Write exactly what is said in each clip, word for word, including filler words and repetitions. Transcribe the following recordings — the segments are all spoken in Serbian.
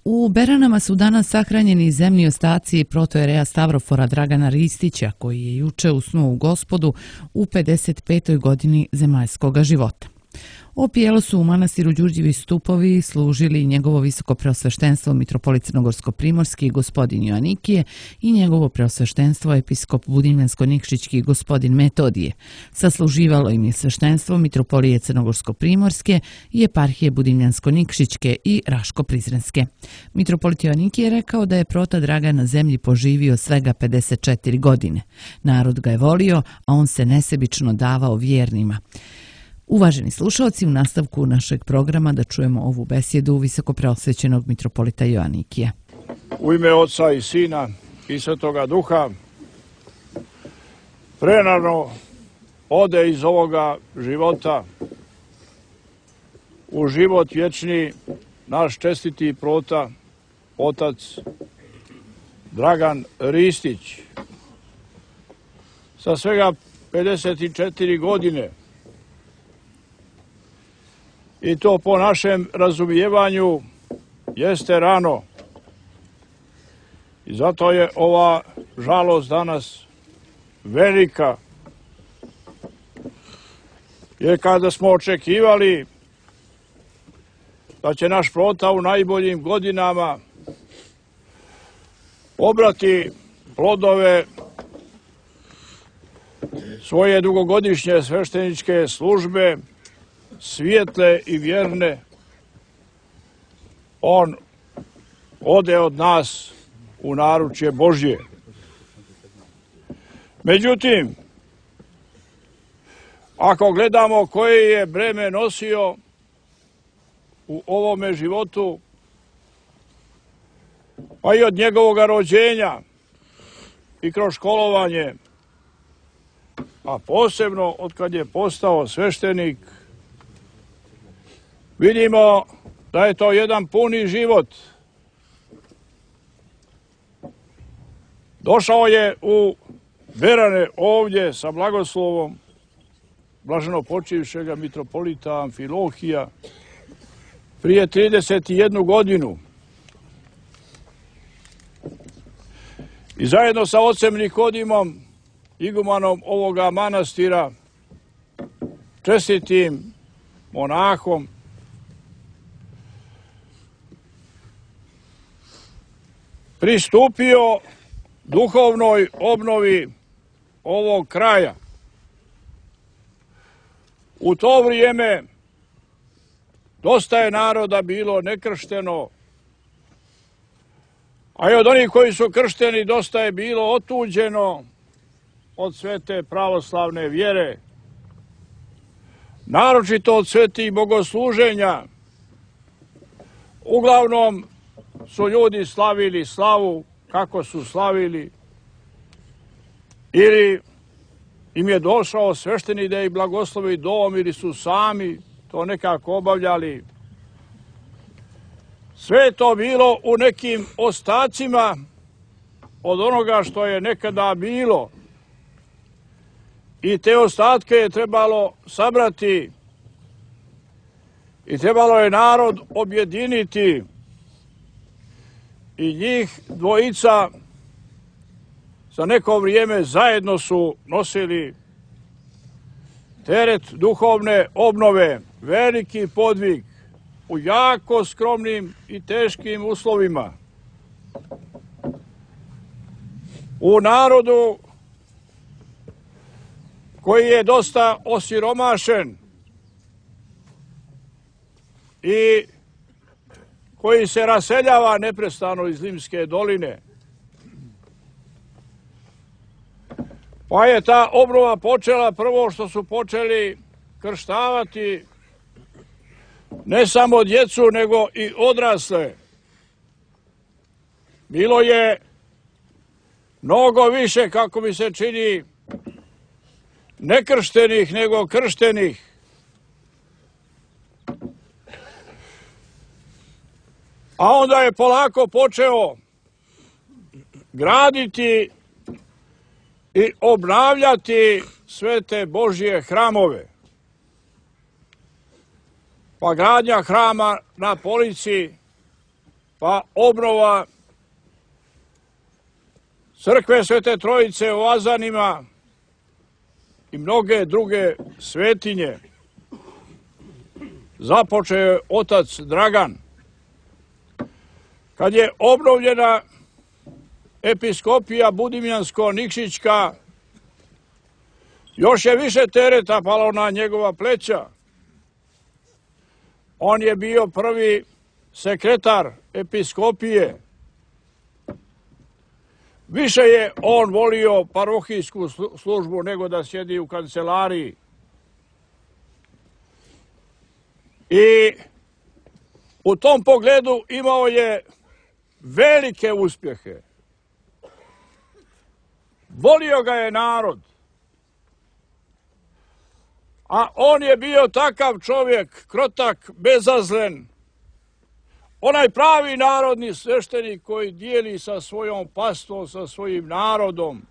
U Beranama su danas sahranjeni zemlji ostaci protojereja Stavrofora Dragana Ristića, koji je juče usnuo u Gospodu u pedeset petoj godini zemaljskoga života. Opijelo su u manastiru Đurđevi stupovi služili njegovo visoko preosveštenstvo mitropolit crnogorsko-primorski gospodin Joanikije i njegovo preosveštenstvo episkop budimljansko-nikšićki gospodin Metodije. Sasluživalo im je sveštenstvo mitropolije crnogorsko-primorske i eparhije budimljansko-nikšićke i raško-prizrenske. Mitropolit Joanikije je rekao da je prota Dragan na zemlji poživio svega pedeset četiri godine. Narod ga je volio, a on se nesebično davao vjernima. Uvaženi slušalci, u nastavku našeg programa da čujemo ovu besjedu visoko preosvećenog mitropolita Joanikija. U ime Oca i Sina i Svetoga Duha, prenarno ode iz ovoga života u život vječni naš čestiti prota, otac Dragan Ristić. Sa svega pedeset četiri godine. I to po našem razumijevanju jeste rano. I zato je ova žalost danas velika. Jer kada smo očekivali da će naš prota u najboljim godinama obrati plodove svoje dugogodišnje svešteničke službe, svijetle i vjerne, on ode od nas u naručje Božje. Međutim, ako gledamo koje je breme nosio u ovome životu, pa i od njegovog rođenja i kroz školovanje, a posebno od kad je postao sveštenik, vidimo da je to jedan puni život. Došao je u Berane ovdje sa blagoslovom blaženo počivšega mitropolita Amfilohija prije trideset jednu godinu. I zajedno sa ocem Nikodimom, igumanom ovoga manastira, čestitim monahom, pristupio duhovnoj obnovi ovog kraja. U to vrijeme dosta je naroda bilo nekršteno, a i od onih koji su kršteni dosta je bilo otuđeno od svete pravoslavne vjere, naročito od svetih bogosluženja. Uglavnom su ljudi slavili slavu kako su slavili, ili im je došao sveštenik da ih blagoslovi dom, ili su sami to nekako obavljali. Sve je to bilo u nekim ostacima od onoga što je nekada bilo. I te ostatke je trebalo sabrati i trebalo je narod objediniti. I njih dvojica za neko vrijeme zajedno su nosili teret duhovne obnove, veliki podvig u jako skromnim i teškim uslovima. U narodu koji je dosta osiromašen i koji se raseljava neprestano iz Limske doline. Pa je ta obnova počela prvo što su počeli krštavati ne samo djecu, nego i odrasle. Bilo je mnogo više, kako mi se čini, nekrštenih nego krštenih. A onda je polako počeo graditi i obnavljati sve te Božje hramove. Pa gradnja hrama na Polici pa obnova crkve Svete Trojice u Azanima i mnoge druge svetinje. Započeo je otac Dragan. Kad je obnovljena episkopija Budimljansko-Nikšićka, još je više tereta palo na njegova pleća. On je bio prvi sekretar episkopije. Više je on volio parohijsku službu nego da sjedi u kancelariji. I u tom pogledu imao je velike uspjehe. Volio ga je narod. A on je bio takav čovjek, krotak, bezazlen, onaj pravi narodni sveštenik koji dijeli sa svojom pastom, sa svojim narodom,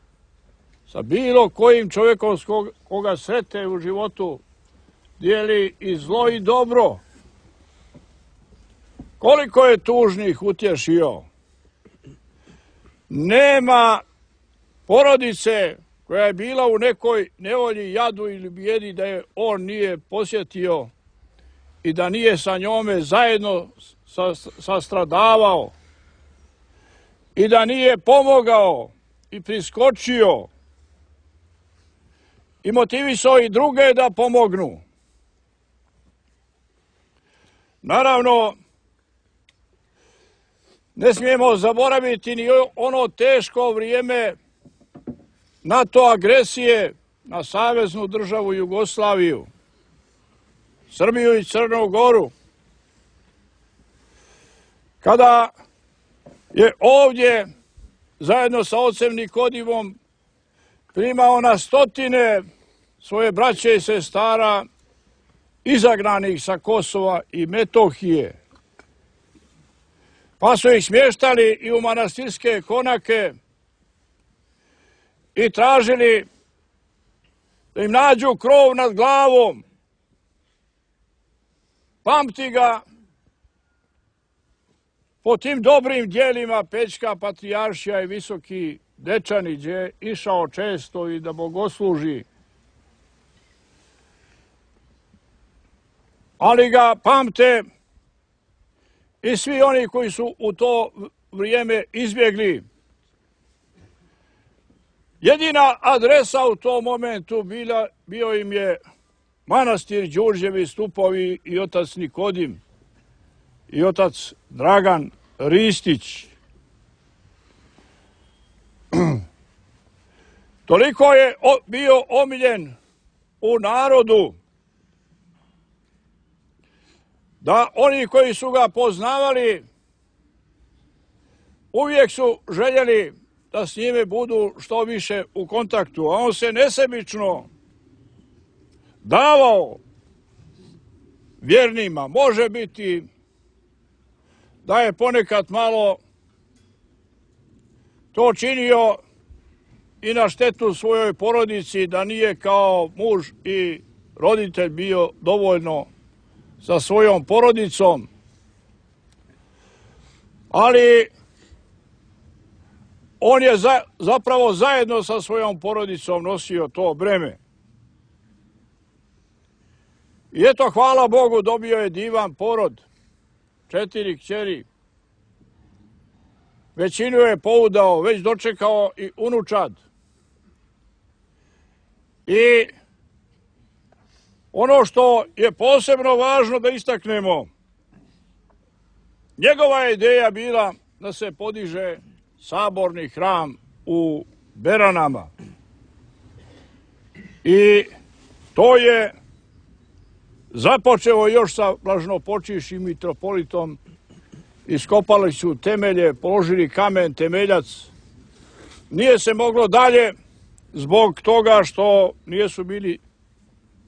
sa bilo kojim čovjekom koga srete u životu, dijeli i zlo i dobro. Koliko je tužnih utješio. Nema porodice koja je bila u nekoj nevolji, jadu ili bijedi da je on nije posjetio i da nije sa njome zajedno sastradavao i da nije pomogao i priskočio i motivisao i druge da pomognu. Naravno, ne smijemo zaboraviti ni ono teško vrijeme NATO agresije na Saveznu državu Jugoslaviju, Srbiju i Crnu Goru, kada je ovdje zajedno sa ocem Nikodimom primao na stotine svoje braće i sestara izagnanih sa Kosova i Metohije. Pa su ih smještali i u manastirske konake i tražili da im nađu krov nad glavom. Pamti ga po tim dobrim dijelima Pećka patrijaršija i Visoki Dečani, gdje je išao često i da bogosluži. Ali ga pamte i svi oni koji su u to vrijeme izbjegli. Jedina adresa u tom momentu bila, bio im je manastir Đurđevi stupovi i otac Nikodim i otac Dragan Ristić. Toliko je bio omiljen u narodu da oni koji su ga poznavali uvijek su željeli da s njime budu što više u kontaktu, a on se nesebično davao vjernima. Može biti da je ponekad malo to činio i na štetu svojoj porodici, da nije kao muž i roditelj bio dovoljno sa svojom porodicom. Ali on je za, zapravo zajedno sa svojom porodicom nosio to breme. I eto, hvala Bogu, dobio je divan porod, četiri kćeri. Većinu je poudao, već dočekao i unučad. I ono što je posebno važno da istaknemo, njegova je ideja bila da se podiže saborni hram u Beranama. I to je započeo još sa blaženopočivšim mitropolitom. Iskopali su temelje, položili kamen temeljac. Nije se moglo dalje zbog toga što nisu bili,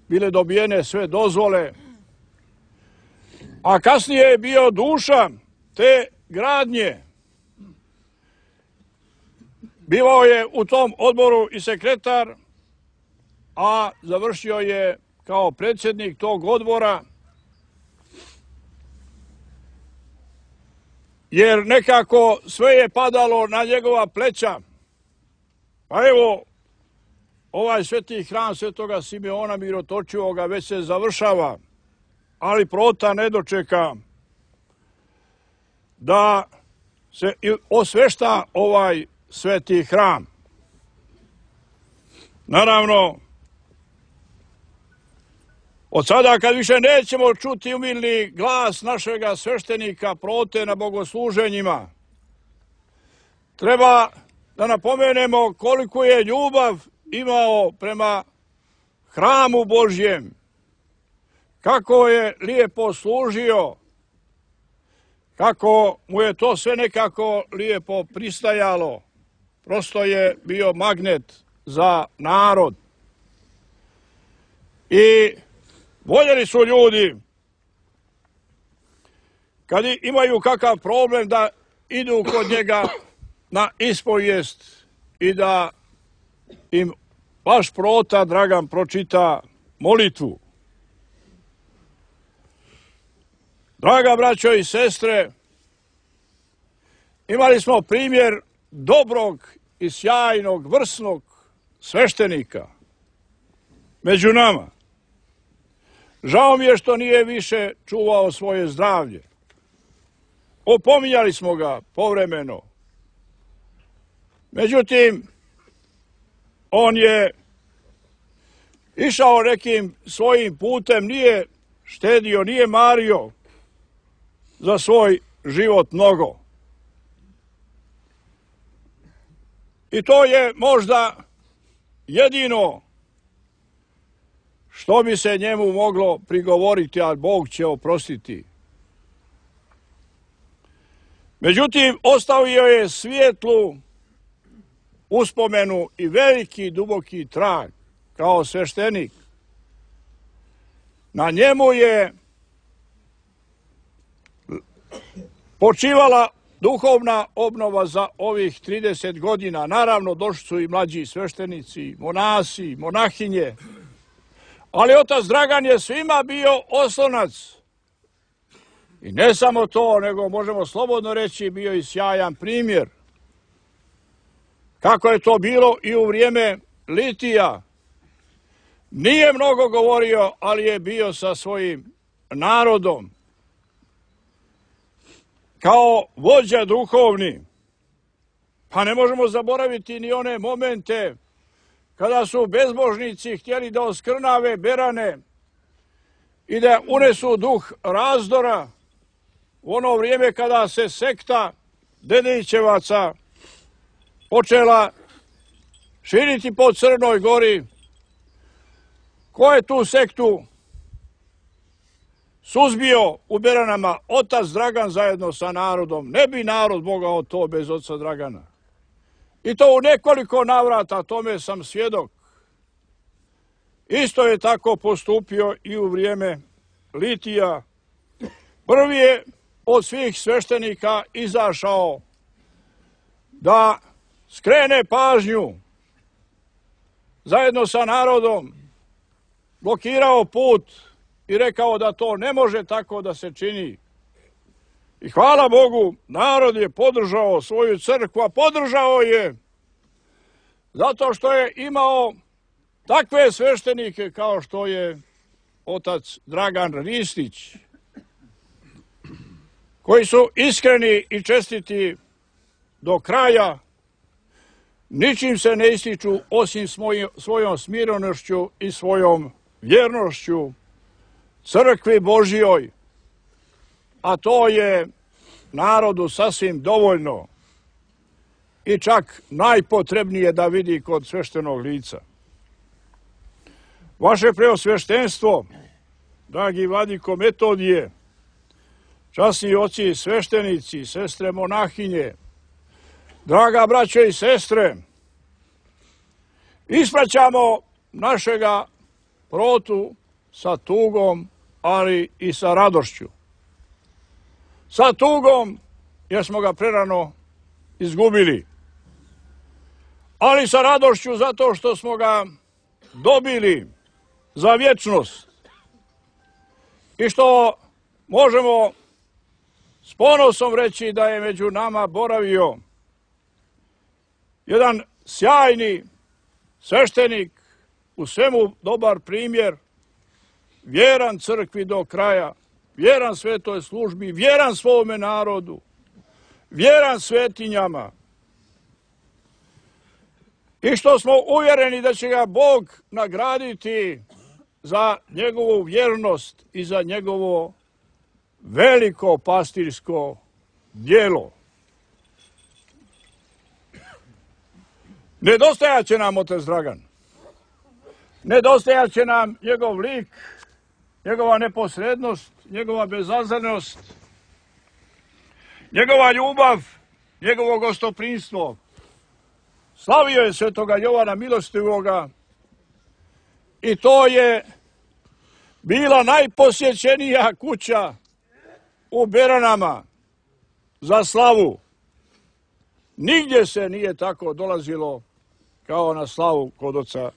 bile dobijene sve dozvole. A kasnije je bio duša te gradnje. Bivao je u tom odboru i sekretar, a završio je kao predsjednik tog odbora. jer nekako sve je padalo na njegova pleća. Pa evo, ovaj sveti hram svetoga Simeona Mirotočivoga već se završava, ali Prota ne dočeka da se osvešta ovaj sveti hram. Naravno, od sada kad više nećemo čuti umilni glas našega sveštenika Prote na bogosluženjima, treba da napomenemo koliko je ljubav imao prema hramu Božjem, kako je lijepo služio, kako mu je to sve nekako lijepo pristajalo. Prosto je bio magnet za narod. I voljeli su ljudi, kad imaju kakav problem, da idu kod njega na ispovijest i da im baš Prota Dragan pročita molitvu. Draga braćo i sestre, imali smo primjer dobrog i sjajnog, vrsnog sveštenika među nama. Žao mi je što nije više čuvao svoje zdravlje. Opominjali smo ga povremeno. Međutim, on je išao nekim svojim putem, nije štedio, nije mario za svoj život mnogo. I to je možda jedino što bi se njemu moglo prigovoriti, a Bog će oprostiti. Međutim, ostavio je svijetlu uspomenu i veliki duboki trag kao sveštenik. Na njemu je počivala duhovna obnova za ovih trideset godina. Naravno, došli su i mlađi sveštenici, monasi, monahinje, ali otac Dragan je svima bio oslonac. I ne samo to, nego možemo slobodno reći, bio i sjajan primjer. Kako je to bilo i u vrijeme Litija. Nije mnogo govorio, ali je bio sa svojim narodom. Kao vođa duhovni. Pa ne možemo zaboraviti ni one momente kada su bezbožnici htjeli da oskrnave Berane i da unesu duh razdora u ono vrijeme kada se sekta Dedićevaca počela širiti po Crnoj Gori. Ko je tu sektu suzbio u Beranama? Otac Dragan zajedno sa narodom. Ne bi narod mogao to bez oca Dragana. I to u nekoliko navrata, tome sam svjedok. Isto je tako postupio i u vrijeme Litija. Prvi je od svih sveštenika izašao da skrene pažnju zajedno sa narodom, blokirao put i rekao da to ne može tako da se čini. I hvala Bogu, narod je podržao svoju crkvu, a podržao je zato što je imao takve sveštenike kao što je otac Dragan Ristić, koji su iskreni i čestiti do kraja, ničim se ne ističu osim svojom smirenošću i svojom vjernošću crkvi Božjoj, a to je narodu sasvim dovoljno i čak najpotrebnije da vidi kod sveštenog lica. Vaše preosveštenstvo, dragi vladiko Metodije, časni oci sveštenici, sestre monahinje, draga braćo i sestre, ispraćamo našega Protu sa tugom, ali i sa radošću. Sa tugom, jer smo ga prerano izgubili, ali sa radošću zato što smo ga dobili za vječnost i što možemo s ponosom reći da je među nama boravio jedan sjajni sveštenik, u svemu dobar primjer, vjeran crkvi do kraja, vjeran svetoj službi, vjeran svome narodu, vjeran svetinjama. I što smo uvjereni da će ga Bog nagraditi za njegovu vjernost i za njegovo veliko pastirsko djelo. Nedostajat će nam otac Dragan. Nedostajat će nam njegov lik, njegova neposrednost, njegova bezazlenost, njegova ljubav, njegovo gostoprimstvo. Slavio je svetoga Jovana Milostivoga i to je bila najposjećenija kuća u Beranama za slavu. Nigdje se nije tako dolazilo kao na slavu kod oca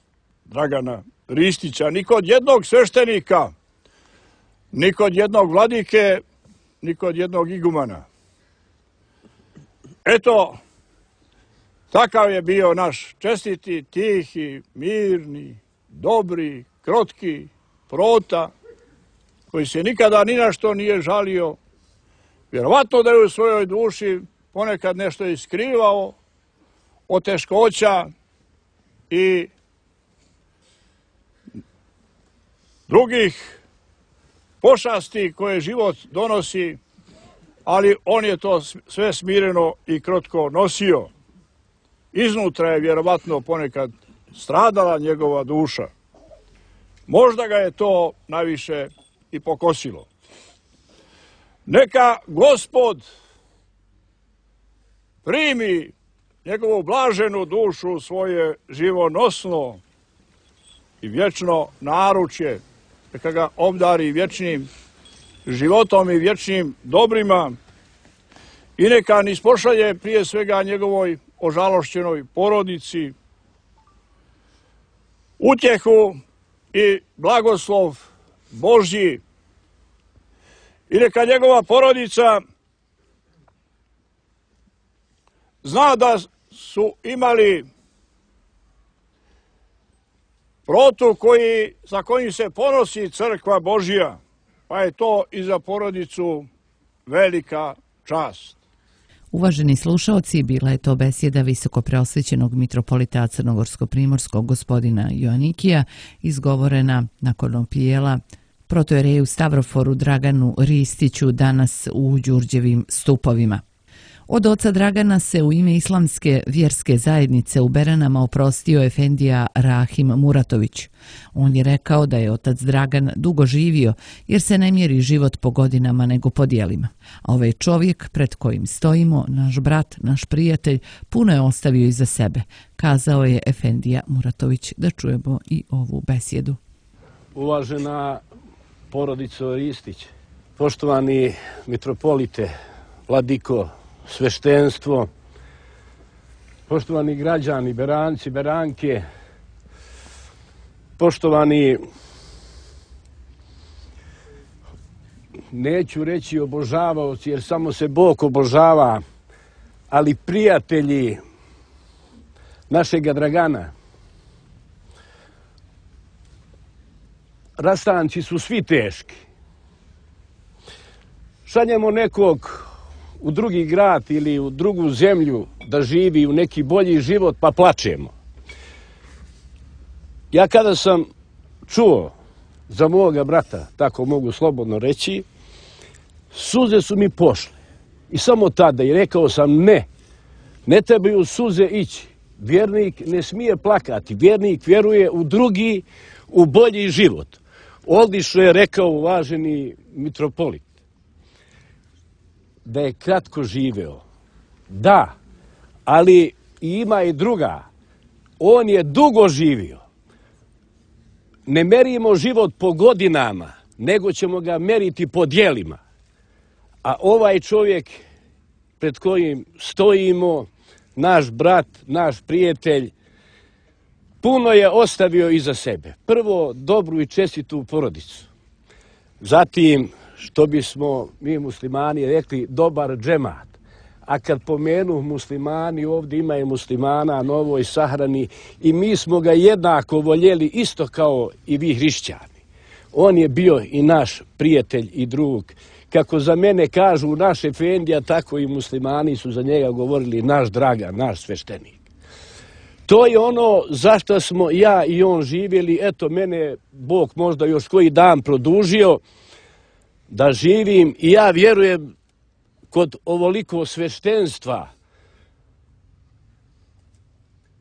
Dragana Ristića, ni kod jednog sveštenika, ni kod jednog vladike, ni kod jednog igumana. Eto, takav je bio naš čestiti, tihi, mirni, dobri, krotki Prota, koji se nikada ni na što nije žalio. Vjerovatno da je u svojoj duši ponekad nešto iskrivao od teškoća i drugih pošasti koje život donosi, ali on je to sve smireno i krotko nosio. Iznutra je vjerovatno ponekad stradala njegova duša. Možda ga je to najviše i pokosilo. Neka Gospod primi njegovu blaženu dušu u svoje živonosno i vječno naručje, neka ga obdari vječnim životom i vječnim dobrima i neka nispošalje prije svega njegovoj ožalošćenoj porodici utjehu i blagoslov Božji i neka njegova porodica zna da su imali Protu koji, za kojim se ponosi crkva Božja, pa je to i za porodicu velika čast. Uvaženi slušaoci, bila je to besjeda visokopreosvećenog mitropolita crnogorsko-primorskog gospodina Joanikija, izgovorena nakon opijela protojereju Stavroforu Draganu Ristiću danas u Đurđevim stupovima. Od oca Dragana se u ime islamske vjerske zajednice u Beranama oprostio efendija Rahim Muratović. On je rekao da je otac Dragan dugo živio jer se ne mjeri život po godinama nego po djelima. A ovaj čovjek pred kojim stojimo, naš brat, naš prijatelj, puno je ostavio iza sebe, kazao je efendija Muratović. Da čujemo i ovu besjedu. Uvažena porodico Ristić, poštovani mitropolite, vladiko, sveštenstvo, poštovani građani, beranci, beranke, poštovani, neću reći obožavaoci jer samo se Bog obožava, ali prijatelji našega Dragana. Rastanci su svi teški. Šaljemo nekog u drugi grad ili u drugu zemlju da živi u neki bolji život, pa plačemo. Ja kada sam čuo za moga brata, tako mogu slobodno reći, suze su mi pošle. I samo tada i rekao sam ne, ne trebaju suze ići. Vjernik ne smije plakati, vjernik vjeruje u drugi, u bolji život. Odlično je rekao uvaženi mitropolit da je kratko živeo. Da, ali ima i druga. On je dugo živio. Ne merimo život po godinama, nego ćemo ga meriti po djelima. A ovaj čovjek pred kojim stojimo, naš brat, naš prijatelj, puno je ostavio iza sebe. Prvo, dobru i čestitu porodicu. Zatim, što bismo mi muslimani rekli, dobar džemat. A kad pomenu muslimani, ovdje ima i muslimana na ovoj sahrani i mi smo ga jednako voljeli isto kao i vi hrišćani. On je bio i naš prijatelj i drug. Kako za mene kažu naš efendija, tako i muslimani su za njega govorili naš Dragan, naš sveštenik. To je ono zašto smo ja i on živjeli. Eto, mene Bog možda još koji dan produžio da živim i ja vjerujem kod ovoliko sveštenstva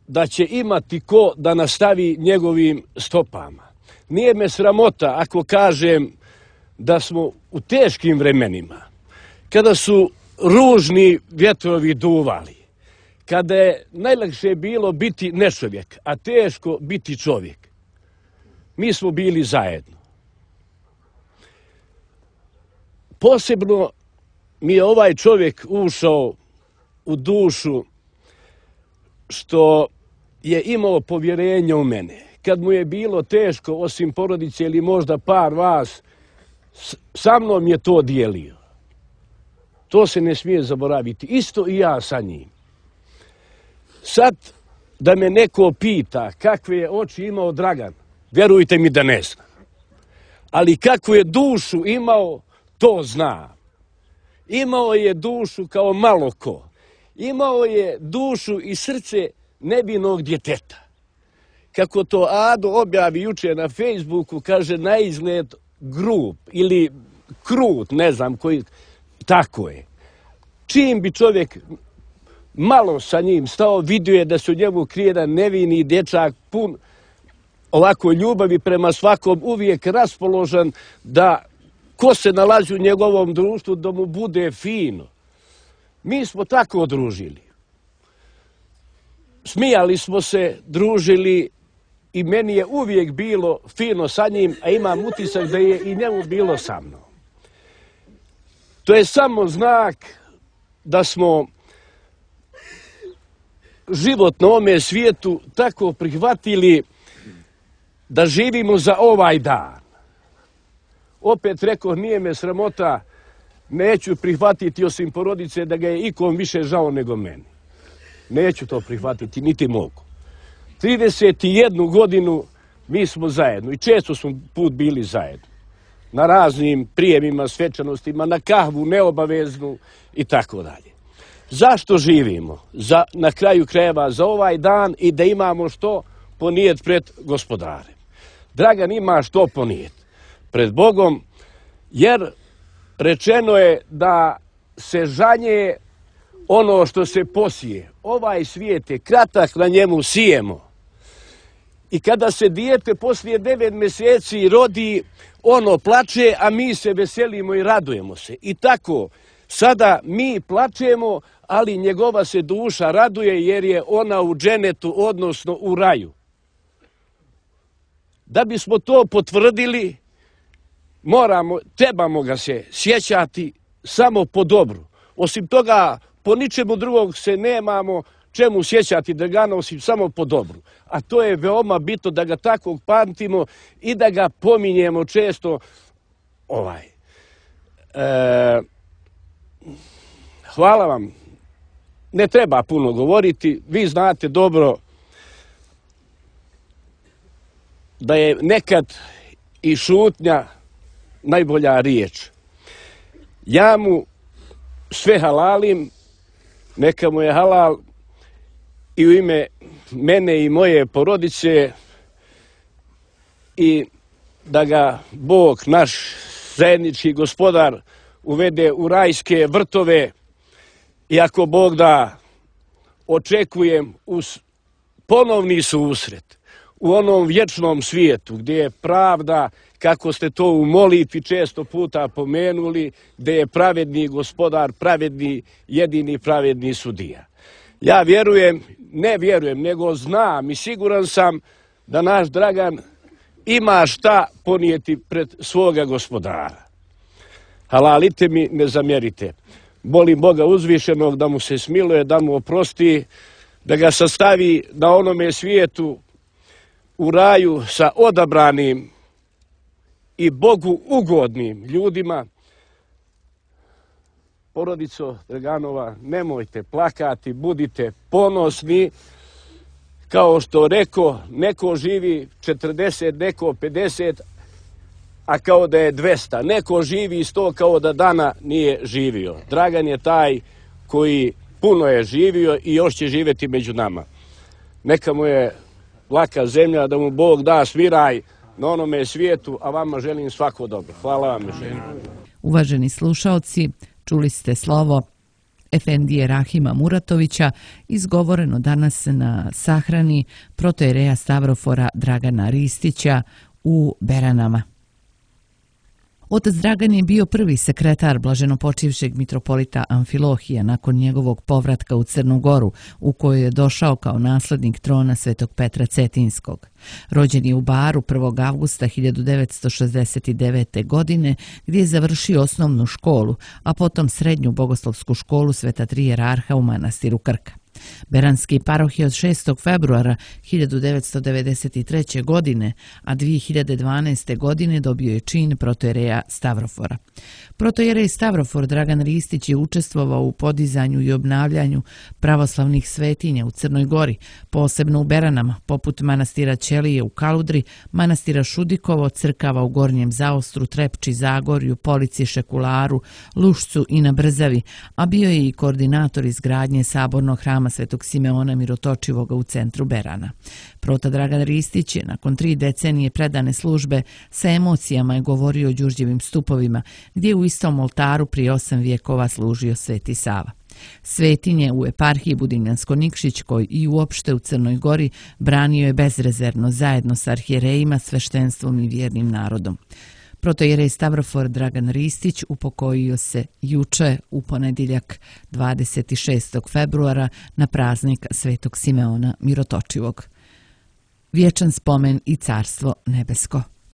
da će imati ko da nastavi njegovim stopama. Nije me sramota ako kažem da smo u teškim vremenima, kada su ružni vjetrovi duvali, kada je najlakše bilo biti nečovjek, a teško biti čovjek, mi smo bili zajedno. Posebno mi je ovaj čovjek ušao u dušu što je imao povjerenje u mene. Kad mu je bilo teško, osim porodice ili možda par vas, sa mnom je to dijelio. To se ne smije zaboraviti. Isto i ja sa njim. Sad da me neko pita kakve je oči imao Dragan, vjerujte mi da ne znam. Ali kakvu je dušu imao, to znam. Imao je dušu kao malo ko. Imao je dušu i srce nevinog djeteta. Kako to Ado objavi juče na Facebooku, kaže na izgled grub ili krut, ne znam koji, tako je. Čim bi čovjek malo sa njim stao, vidio je da se u njemu krije jedan nevini dječak pun ovako ljubavi prema svakom, uvijek raspoložen da ko se nalazi u njegovom društvu da mu bude fino. Mi smo tako družili. Smijali smo se, družili i meni je uvijek bilo fino sa njim, a imam utisak da je i njemu bilo sa mnom. To je samo znak da smo život na ovome svijetu tako prihvatili da živimo za ovaj dan. Opet rekao, nije me sramota, neću prihvatiti osim porodice da ga je ikom više žao nego meni. Neću to prihvatiti, niti mogu. trideset jednu godinu mi smo zajedno i često smo put bili zajedno. Na raznim prijemima, svečanostima, na kahvu, neobaveznu i tako dalje. Zašto živimo? Za, na kraju krajeva za ovaj dan i da imamo što ponijet pred gospodarem. Dragan ima što ponijet pred Bogom, jer rečeno je da se žanje ono što se posije. Ovaj svijet je kratak, na njemu sijemo. I kada se dijete poslije devet mjeseci rodi, ono plače, a mi se veselimo i radujemo se. I tako, sada mi plačemo, ali njegova se duša raduje jer je ona u dženetu, odnosno u raju. Da bismo to potvrdili, moramo, trebamo ga se sjećati samo po dobru. Osim toga, po ničemu drugog se nemamo čemu sjećati Dragana osim samo po dobru. A to je veoma bitno da ga tako pamtimo i da ga pominjemo često. Ovaj. E, hvala vam. Ne treba puno govoriti. Vi znate dobro da je nekad i šutnja najbolja riječ. Ja mu sve halalim, neka mu je halal i u ime mene i moje porodice i da ga Bog, naš zajednički gospodar, uvede u rajske vrtove i ako Bog da, očekujem uz ponovni susret u onom vječnom svijetu gdje je pravda, kako ste to u molitvi često puta pomenuli, gdje je pravedni gospodar, pravedni, jedini pravedni sudija. Ja vjerujem, ne vjerujem, nego znam i siguran sam da naš Dragan ima šta ponijeti pred svoga gospodara. Halalite mi, ne zamjerite. Molim Boga uzvišenog da mu se smiluje, da mu oprosti, da ga sastavi na onome svijetu u raju sa odabranim i Bogu ugodnim ljudima, porodico Draganova, nemojte plakati, budite ponosni. Kao što reko, neko živi četrdeset, neko pedeset, a kao da je dvesta. Neko živi sto kao da dana nije živio. Dragan je taj koji puno je živio i još će živjeti među nama. Neka mu je laka zemlja, da mu Bog da sviraj na onome svijetu, a vama želim svako dobro. Hvala vam još jednom. Uvaženi slušaoci, čuli ste slovo Efendije Rahima Muratovića, izgovoreno danas na sahrani protoijereja Stavrofora Dragana Ristića u Beranama. Otac Dragan je bio prvi sekretar blaženopočivšeg mitropolita Amfilohija nakon njegovog povratka u Crnu Goru, u kojoj je došao kao naslednik trona Svetog Petra Cetinskog. Rođen je u Baru prvog avgusta hiljadu devetsto šezdeset devete. godine, gdje je završio osnovnu školu, a potom srednju bogoslovsku školu Sveta Tri jerarha u manastiru Krka. Beranski paroh je od šestog februara hiljadu devetsto devedeset treće. godine, a dvije hiljade dvanaeste. godine dobio je čin protoijereja Stavrofora. Protoijerej Stavrofor Dragan Ristić je učestvovao u podizanju i obnavljanju pravoslavnih svetinja u Crnoj Gori, posebno u Beranama, poput manastira Ćelije u Kaludri, manastira Šudikovo, crkava u Gornjem Zaostru, Trepči, Zagorju, Polici, Šekularu, Lušcu i na Brzavi, a bio je i koordinator izgradnje sabornog hrama Svetog Simeona Mirotočivoga u centru Berana. Prota Dragan Ristić je nakon tri decenije predane službe sa emocijama je govorio o Đurđevim stupovima, gdje je u istom oltaru prije osam vijekova služio Sveti Sava. Svetinje u eparhiji Budinjansko-Nikšićkoj i uopšte u Crnoj Gori branio je bezrezervno zajedno sa arhijerejima, sveštenstvom i vjernim narodom. Protoijerej Stavrofor Dragan Ristić upokojio se juče u ponedjeljak dvadeset šestog februara na praznik Svetog Simeona Mirotočivog. Vječan spomen i carstvo nebesko.